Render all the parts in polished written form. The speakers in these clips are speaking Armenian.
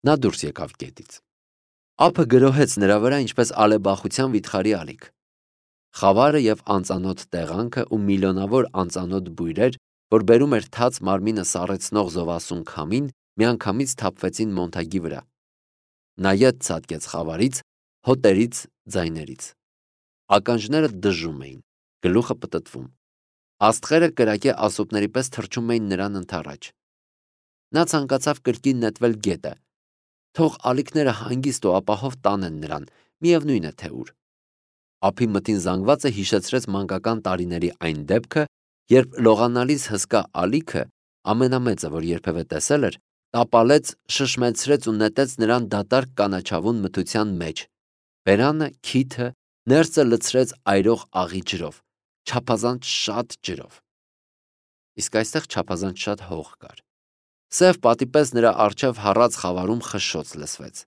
Նա դուրս եկավ գետից։ Ափը գրոհեց նրա վրա ինչպես ալեբախության վիթխարի ալիք։ Խավարը և անծանոթ տեղանքը ու միլիոնավոր անծանոթ բույրեր, որ բերում էր թաց մարմինը սառեցնող զովասուն քամին, միանգամից թափվեցին Մոնթագի վրա։ Նա ետ ցատկեց խավարից, հոտերից, ձայներից։ Ականջները դժում էին, գլուխը պտտվում։ Աստղերը կրակե ասոպների պես թռչում էին նրան ընդառաջ։ Նա ցանկացավ կրկին նետվել գետը, թող ալիքները հանգիստ ու ապահով տանեն նրան, միևնույն է թե ուր։ Ափի մթին զանգվածը հիշեցրեց մանկական տարիների այն դեպքը, երբ լողանալիս հսկա ալիքը, ամենամեծը, որ երբևէ տեսել էր, տապալեց, շշմեցրեց ու նետեց նրան դատարկ կանաչավուն մթության մեջ, բերանը, քիթը, ներսը լցրեց այրող աղի ջրով, չափազանց շատ ջրով։ Իսկ այստեղ չափազանց շատ հող կար։ Սև պատի պես նրա առջև հառած խավարում խշշոց լսվեց։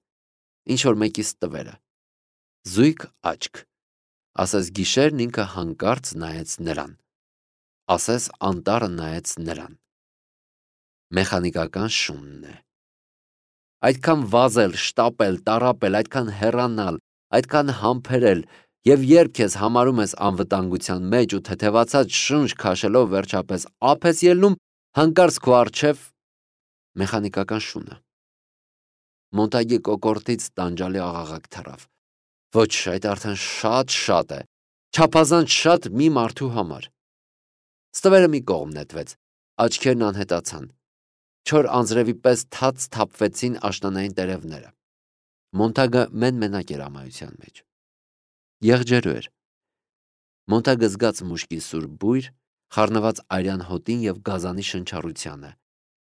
Ինչ-որ մեկի ստվերը։ Զույգ աչք։ Ասես գիշերն ինքը հանկարծ նայեց նրան։ Ասես անտառը նայեց նրան։ Մեխանիկական շունն է։ Այդքան վազել, շտապել, տառապել, այդքան հեռանալ, այդքան համբերել, և երբ քեզ համարում ես անվտանգության մեջ ու թեթևացած շունչ քաշելով վերջապես ափ ես ելնում, հանկարծ քո առջև մեխանիկական շունը։ Մոնտագի կոկորդից տանջալի աղաղակ թռավ։ Ոչ, այդ արդեն շատ է, չափազանց շատ մի մարդու համար։ Ստվերը մի կողմ նետվեց, աչքերն անհետացան, չոր անձրևի պես թաց թափվեցին աշնանային տերևները։ Մոնտագը մեն-մենակ էր ամայության մեջ։ Եղջերու էր։ Մոնտագը զգաց մուշկի սուր բույր, խառնված արյան հոտին և գազանի շնչառությանը,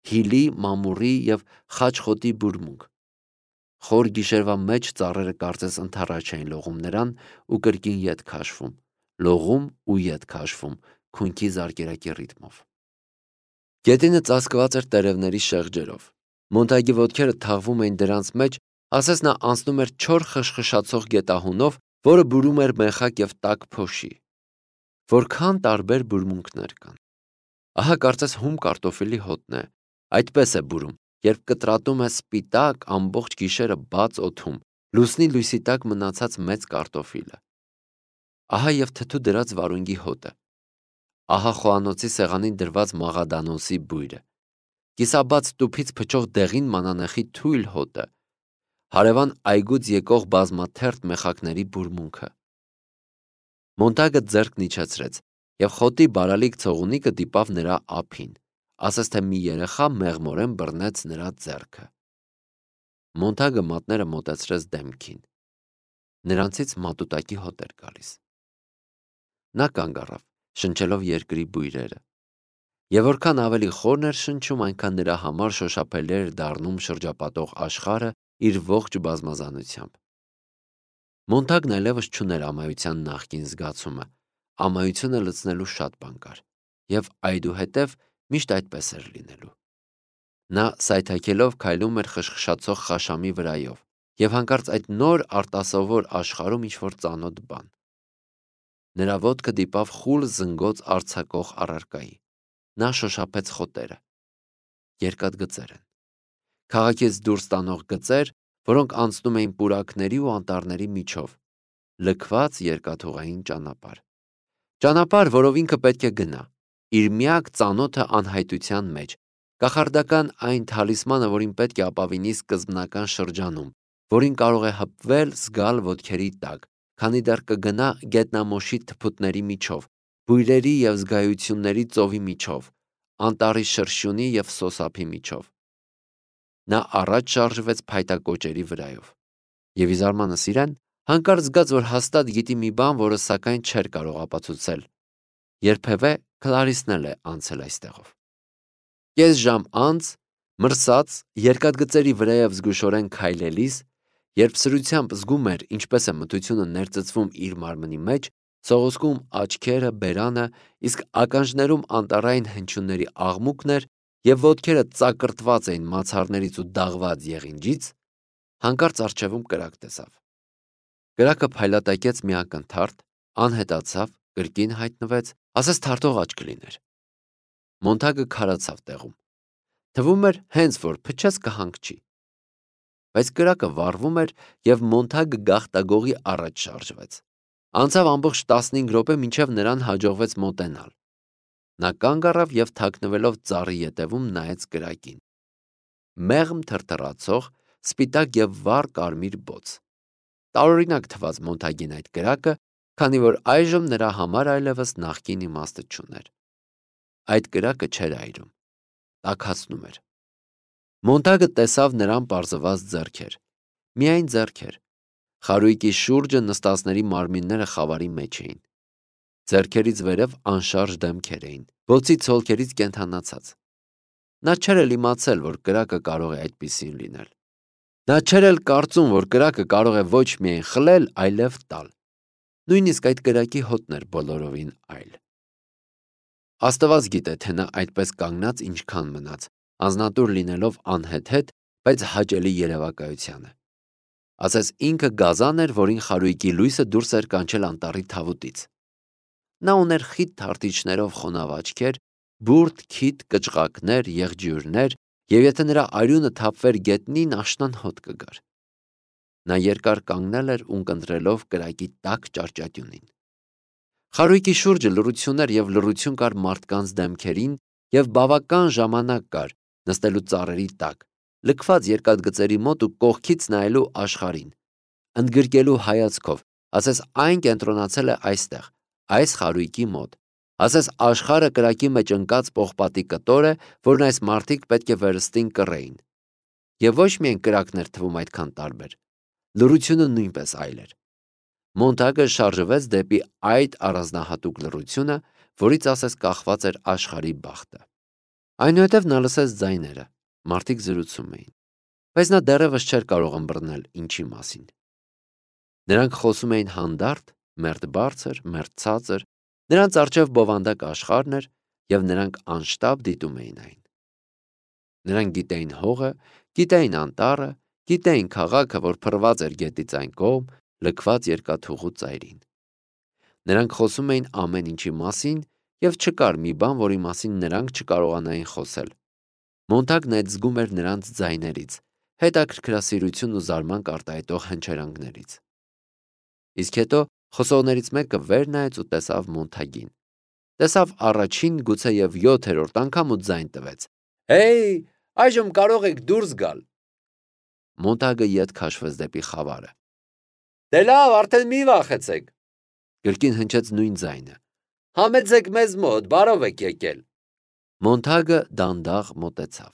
հիլի, մամուռի և խաչխոտի բուրմունք։ Խոր գիշերվա մեջ ծառերը կարծես ընդառաջ էին լողում նրան ու կրկին ետ քաշվում, լողում ու ետ քաշվում, քունքի զարկերակի ռիթմով։ Գետինը ծածկված էր տերևների շեղջերով։ Մոնտագի ոտքերը թաղվում էին դրանց մեջ, ասես նա անցնում էր չոր խշխշացող գետահունով, որը բուրում էր մեխակ և տաք փոշի։ Որքան տարբեր բուրմունքներ կան։ Ահա կարծես հում կարտոֆիլի հոտն է, այդպես է բուրում, երբ կտրատում է սպիտակ ամբողջ գիշերը բաց օդում, լուսնի լույսի տակ մնացած մեծ կարտոֆիլը։ Ահա և թթու դրած վարունգի հոտը։ Ահա խոհանոցի սեղանին դրված մաղադանոսի բույրը, կիսաբաց տուփից փչող դեղին մանանեխի թույլ հոտը, հարևան այգուց եկող բազմաթերթ մեխակների բուրմունքը։ Մոնտագը ձեռքն իջեցրեց, և խոտի բարալիկ ցողունիկը դիպավ նրա ափին, ասես թե մի երեխա մեղմորեն բռնեց նրա ձեռքը։ Մոնտագը մատները մոտեցրեց դեմքին։ Նրանցից մատուտակի հոտ էր գալիս։ Նա կանգ առավ, շնչելով երկրի բույրերը։ Եվ որքան ավելի խորն էր շնչում, այնքան նրա համար շոշափելի էր դառնում շրջապատող աշխարհը իր ողջ բազմազանությամբ։ Մոնտագն այլևս չուներ ամայության նախկին զգացումը, ամայությունը լցնելու շատ բան կար, և այդուհետև միշտ այդպես էր լինելու։ Նա սայթաքելով քայլում էր խշխշացող խաշամի վրայով, և հանկարծ այդ նոր արտասովոր աշխարհում ինչ-որ ծանոթ բան։ Նրա ոտքը դիպավ խուլ զնգոց արձակող առարկայի։ Նա շոշափեց խոտերը։ Երկաթգծեր են։ Քաղաքից դուրս տանող գծեր, որոնք անցնում էին պուրակների ու անտառների միջով, լքված երկաթուղային ճանապարհ։ Ճանապարհ, որով ինքը պետք է գնա, իր միակ ծանոթը անհայտության մեջ, կախարդական այն թալիսմանը, որին պետք է ապավինի սկզբնական շրջանում, որին կարող է հպվել, զգալ ոտքերի տակ, քանի դեռ կգնա գետնամոշի թփուտների միջով, բույրերի և զգայությունների ծովի միջով, անտառի շրշյունի և սոսափի միջով։ Նա առաջ շարժվեց փայտակոճերի վրայով։ Եվ ի զարմանս իրեն, հանկարծ զգաց, որ հաստատ գիտի մի բան, որը սակայն չէր կարող ապացուցել։ Երբևէ Քլարիսն էլ է անցել այստեղով։ Կես ժամ անց, մրսած, երկաթգծերի վրայով զգուշորեն քայլելիս, երբ սրությամբ զգում էր, ինչպես է մթությունը ներծծվում իր մարմնի մեջ, սողոսկում աչքերը, բերանը, իսկ ականջներում անտառային հնչյունների աղմուկն էր, և ոտքերը ծակրտված էին մացառներից ու դաղված եղինջից, հանկարծ առջևում կրակ տեսավ։ Կրակը փայլատակեց մի ակնթարթ, անհետացավ, կրկին հայտնվեց, ասես թարթող աչք լիներ։ Մոնտագը քարացավ տեղում։ Թվում էր հենց որ փչես կհանգչի։ բայց կրակը վառվում էր և Մոնթագը գաղտագողի առաջ շարժվեց։ Անցավ ամբողջ 15 րոպե, մինչև նրան հաջողվեց մոտենալ։ Նա կանգ առավ և թաքնվելով ծառի ետևում նայեց կրակին։ Մեղմ թրթռացող, սպիտակ և վառ կարմիր բոց։ Տարօրինակ թվաց Մոնթագին այդ կրակը, քանի որ այժմ նրա համար այլևս նախկին իմաստը չուներ։ Այդ կրակը չէր այրում, տաքացնում էր։ Մոնթագը տեսավ նրան պարզված ձեռքեր։ Միայն ձեռքեր։ Խարույկի շուրջը նստածների մարմինները խավարի մեջ էին։ Ձեռքերից վերև անշարժ դեմքեր էին, բոցի ցոլքերից կենդանացած։ Նա չէր էլ իմացել, որ կրակը կարող է այդպիսին լինել։ Նա չէր էլ կարծում, որ կրակը կարող է ոչ միայն խլել, այլև տալ։ Նույնիսկ այդ կրակի հոտն էր բոլորովին այլ։ Աստված գիտե, թե նա այդպես կանգնած ինչքան մնաց, անձնատուր լինելով անհեթեթ, բայց հաճելի երևակայությանը։ Ասես ինքը գազան էր, որին խարույկի լույսը դուրս էր կանչել անտառի թավուտից։ Նա ուներ խիտ թարթիչներով խոնավ աչքեր, բուրդ, քիթ, կճղակներ, եղջյուրներ, և եթե նրա արյունը թափվեր գետնին, աշնան հոտ կգար։ Նա երկար կանգնել էր ունկնդրելով կրակի տաք ճարճատյունին։ Խարույկի շուրջը լռություն էր և լռություն կար մարդկանց դեմքերին, և բավական ժամանակ կար նստելու ծառերի տակ, լքված երկաթգծերի մոտ ու կողքից նայելու աշխարհին, ընդգրկելու հայացքով, ասես այն կենտրոնացել է այստեղ, այս խարույկի մոտ, ասես աշխարհը կրակի մեջ ընկած պողպատի կտոր է, որն այս մարդիկ պետք է վերստին կռեին։ Եվ ոչ միայն կրակն էր թվում այդքան տարբեր, լռությունը նույնպես այլ էր։ Մոնթագը շարժվեց դեպի այդ առանձնահատուկ լռությունը, որից ասես կախված էր աշխարհի բախտը։ Այնուհետև նա լսեց ձայները, մարդիկ զրուցում էին, բայց նա դեռևս չէր կարող ըմբռնել ինչի մասին։ Նրանք խոսում էին հանդարտ, մերթ բարձր, մերթ ցածր, նրանց առջև բովանդակ աշխարհն էր, և նրանք անշտապ դիտում էին այն։ Նրանք գիտեին հողը, գիտեին անտառը, գիտեին քաղաքը, որ փռված էր գետից այն կողմ, լքված երկաթուղու ծայրին։ Նրանք խոսում էին ամեն ինչի մասին, և չկար մի բան, որի մասին նրանք չկարողանային խոսել։ Մոնթագն այդ զգում էր նրանց ձայներից, հետաքրքրասիրություն ու զարմանք արտահայտող հնչերանգներից։ Իսկ հետո խոսողներից մեկը վեր նայեց ու տեսավ Մոնթագին։ Տեսավ առաջին, գուցե և 7-րդ անգամ ու ձայն տվեց. «Հեյ, այժմ կարող եք դուրս գալ»։ Մոնթագը ետ քաշվեց դեպի խավարը։ «Դե լավ, արդեն մի վախեցեք», կրկին հնչեց նույն ձայնը։ «Համեցեք մեզ մոտ, բարով եք եկել»։ Մոնթագը դանդաղ մոտեցավ։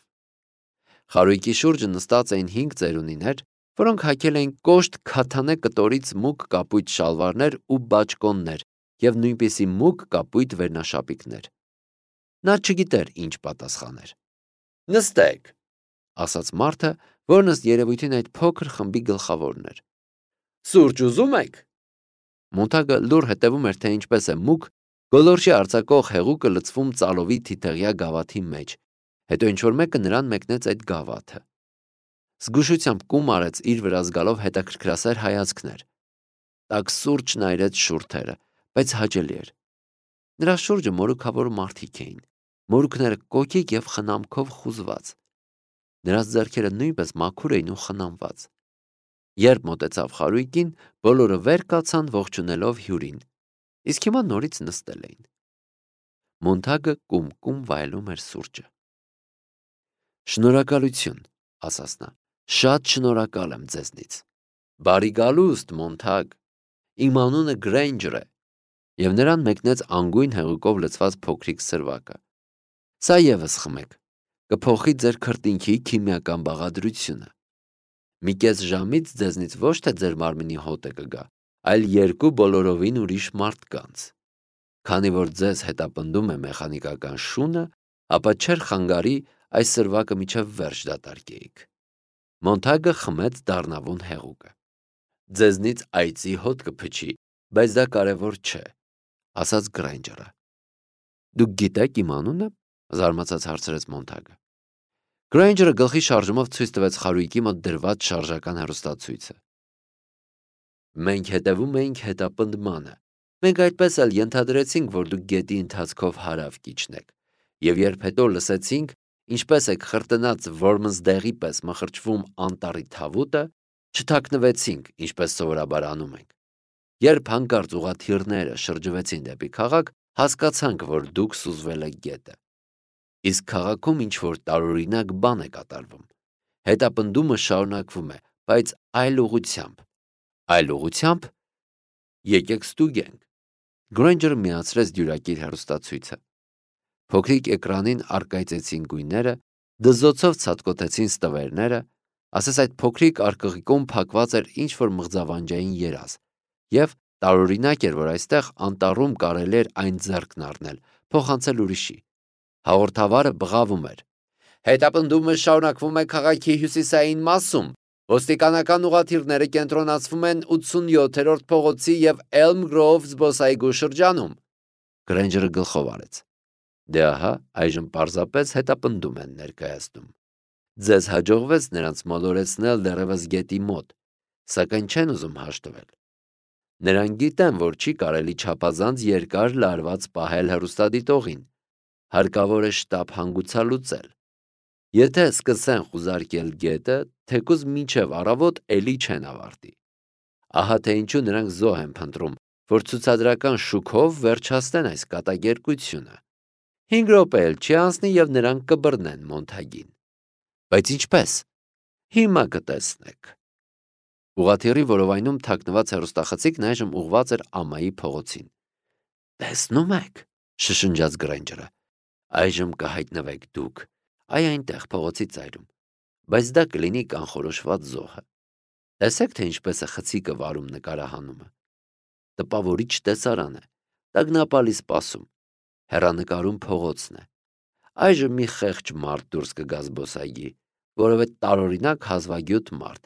Խարույկի շուրջը նստած էին 5 ծերունիներ, որոնք հագել էին կոշտ քաթանե կտորից մուգ կապույտ շալվարներ ու բաճկոններ և նույնպիսի մուգ կապույտ վերնաշապիկներ։ Նա չգիտեր ինչ պատասխաներ։ «Նստեք», ասաց մարդը, որն ըստ երևույթին այդ փոքր խմբի գլխավորն էր։ «Սուրճ ուզում եք»։ Մոնթագը լուռ հետևում էր, թե ինչպես է մուգ, գոլորշի արձակող հեղուկը լցվում ծալովի թիթեղյա գավաթի մեջ, հետո ինչ-որ մեկը նրան մեկնեց այդ գավաթը։ Զգուշությամբ կում արեց իր վրա զգալով հետաքրքրասեր հայացքներ։ Տաք սուրճն այրեց շուրթերը, բայց հաճելի էր։ Նրա շուրջը մորուքավոր մարդիկ էին, մորուքները կոկիկ և խնամքով խուզված։ Նրանց ձեռքերը նույնպես մաքուր էին ու խնամված։ Երբ մոտեցավ խարույկին, բոլորը վեր կացան ողջունելով հյուրին, իսկ հիմա նորից նստել էին։ Մոնթագը կում-կում վայելում էր սուրճը։ «Շնորհակալություն», ասաց նա, «շատ շնորհակալ եմ ձեզնից»։ «Բարի գալուստ, Մոնթագ, իմ անունը Գրեյնջեր է», և նրան մեկնեց անգույն հեղուկով լցված փոքրիկ սրվակը։ «Սա ևս խմեք, կփոխի ձեր քրտինքի քիմիական բաղադրությունը։ Մի կես ժամից ձեզնից ոչ թե ձեր մարմնի հոտը կգա, այլ 2 բոլորովին ուրիշ մարդկանց։ Քանի որ ձեզ հետապնդում է մեխանիկական շունը, ապա չէր խանգարի այս սրվակը մինչև վերջ դատարկեիք»։ Մոնթագը խմեց դառնավուն հեղուկը։ «Ձեզնից այծի հոտ կփչի, բայց դա կարևոր չէ», ասաց Գրեյնջերը։ «Դուք գիտեք իմ անունը»։ Զարմացած հարցրեց Մոնթագը։ Գրեյնջերը գլխի շարժումով ցույց տվեց խարույկի մոտ դրված շարժական հեռուստացույցը։ «Մենք հետևում էինք հետապնդմանը։ Մենք այդպես էլ ենթադրեցինք, որ դուք գետի ընթացքով հարավ կիջնեք, և երբ հետո լսեցինք, ինչպես է խրտնած որմնձդեղի պես մխրճվում անտառի թավուտը, չթաքնվեցինք, ինչպես սովորաբար անում ենք։ Երբ հանկարծ ուղղաթիռները շրջվեցին դեպի քաղաք, հասկացանք, որ դուք սուզվել եք գետը։ Իսկ քաղաքում ինչ-որ տարօրինակ բան է կատարվում։ Հետապնդումը շարունակվում է, բայց այլ ուղղությամբ։ Այլ ուղղությամբ։ Եկեք ստուգենք։ Գրենջերը միացրեց դյուրակիր հեռուստացույցը։ Փոքրիկ էկրանին առկայծեցին գույները, դզոցով ցատկոտեցին ստվերները, ասես այդ փոքրիկ արկղիկում փակված էր ինչ-որ մղձավանջային երազ, եւ տարօրինակ էր, որ այստեղ անտառում կարելի էր այն ձեռքն առնել, փոխանցել ուրիշի։ Հաղորդավարը բղավում էր. Հետապնդումը շարունակվում է քաղաքի հյուսիսային մասում։ Ոստիկանական ուղղաթիռները կենտրոնացվում են 87-րդ փողոցի եւ Elm Grove զբոսայգու շրջանում։ Գրենջերը գլխով արեց. Դե ահա, այժմ պարզապես հետապնդում են ներկայացնում։ Ձեզ հաջողվեց նրանց մոլորեցնել դեռևս գետի մոտ, սակայն չեն ուզում հաշտվել։ Նրանք գիտեն, որ չի կարելի չափազանց երկար լարված պահել հեռուստադիտողին։ Հարկավոր է շտապ հանգուցալուծել։ Եթե սկսեն խուզարկել գետը, թեկուզ մինչև առավոտ էլի չեն ավարտի։ Ահա թե ինչու նրանք զոհ են փնտրում, որ ցուցադրական շուքով վերջացնեն այս կատակերգությունը։ 5 րոպե էլ չի անցնի եւ նրանք կբռնեն Մոնթագին։ Բայց ինչպես։ Հիմա կտեսնեք։ Ուղղաթիռի որովայնում թաքնված հեռուստախցիկն այժմ ուղղված էր ամայի փողոցին։ Տեսնում եք, շշնջաց Գրենջերը։ Այժմ կհայտնվեք դուք։ Այ այնտեղ փողոցի ծայրում, բայց դա կլինի կանխորոշված զոհը։ Տեսեք, թե ինչպես է խցիկը վարում նկարահանումը։ Տպավորիչ տեսարան է, տագնապալի սպասում, հեռանկարում փողոցն է։ Այժմ մի խեղճ մարդ դուրս կգա զբոսայգի, որովհետեւ տարօրինակ հազվագյուտ մարդ։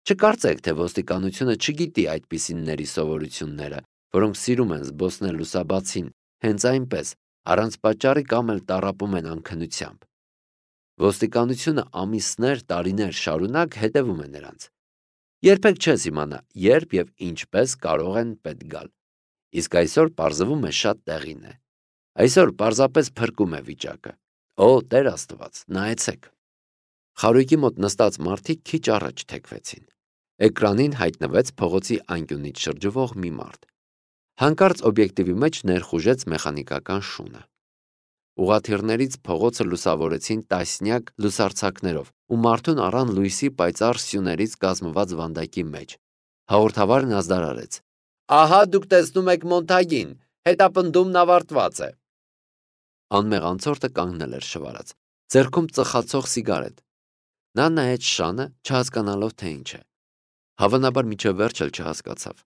Չկարծեք, թե ոստիկանությունը չգիտի այդպիսինների սովորությունները, որոնք սիրում են զբոսնել լուսաբացին, հենց այնպես, առանց պատճառի կամ էլ տառապում են անքնությամբ։ Ոստիկանությունը ամիսներ, տարիներ շարունակ հետևում է նրանց։ Երբեք չես իմանա, երբ եւ ինչպես կարող են պետք գալ։ Իսկ այսօր պարզվում է շատ տեղին է։ Այսօր պարզապես փրկում է վիճակը։ Օ, Տեր Աստված, նայեցեք։ Խարույկի մոտ նստած մարդիկ քիչ առաջ թեքվեցին։ Էկրանին հայտնվեց փողոցի անկյունից շրջվող մի մարդ։ Հանկարծ օբյեկտիվի մեջ ներխուժեց մեխանիկական շունը։ Ուղղաթիռներից փողոցը լուսավորեցին տասնյակ լուսարձակներով, ու մարդուն առան լույսի պայծառ սյուներից կազմված վանդակի մեջ։ Հաղորդավարն ազդարարեց. Ահա դուք տեսնում եք Մոնթագին, հետապնդումն ավարտված է։ Անմեղ անցորդը կանգնել էր շվարած, ձեռքում ծխացող սիգարետ։ Նա նայեց շանը, չհասկանալով թե ինչ է։ Հավանաբար մինչև վերջ էլ չհասկացավ։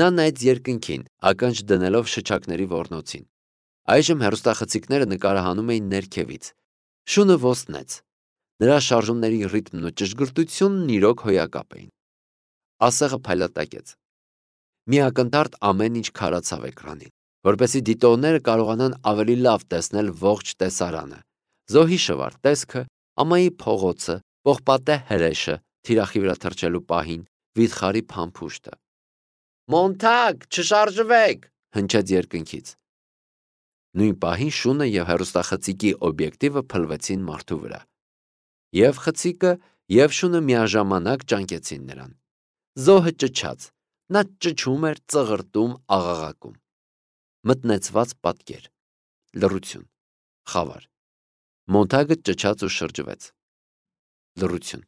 Նա նայեց երկնքին, ականջ դնելով շչակների ոռնոցին։ Այժմ հեռուստախցիկները նկարահանում էին ներքևից։ Շունը ոսնեց։ Նրա շարժումների ռիթմն ու ճշգրտությունն իրոք հոյակապ էին։ Ասեղը փայլատակեց։ Մի ակնթարթ ամեն ինչ քարացավ էկրանին, որպեսզի դիտողները կարողանան ավելի լավ տեսնել ողջ տեսարանը։ Զոհի շվարթ տեսքը, ամայի փողոցը, պողպատե հրեշը, թիրախի վրա թռչելու պահին, վիթխարի փամփուշտը։ Մոնթագ, չշարժվեք, հնչեց երկնքից։ Նույն պահին շունը եւ հեռուստախցիկի օբյեկտիվը փլվեցին մարդու վրա։ Եվ խցիկը, եւ շունը միաժամանակ ճանկեցին նրան։ Զոհը ճչաց։ Նա ճչում էր, ծղրտում, աղաղակում։ Մտնեցված պատկեր։ Լռություն։ Խավար։ Մոնթագը ճչաց ու շրջվեց։ Լռություն։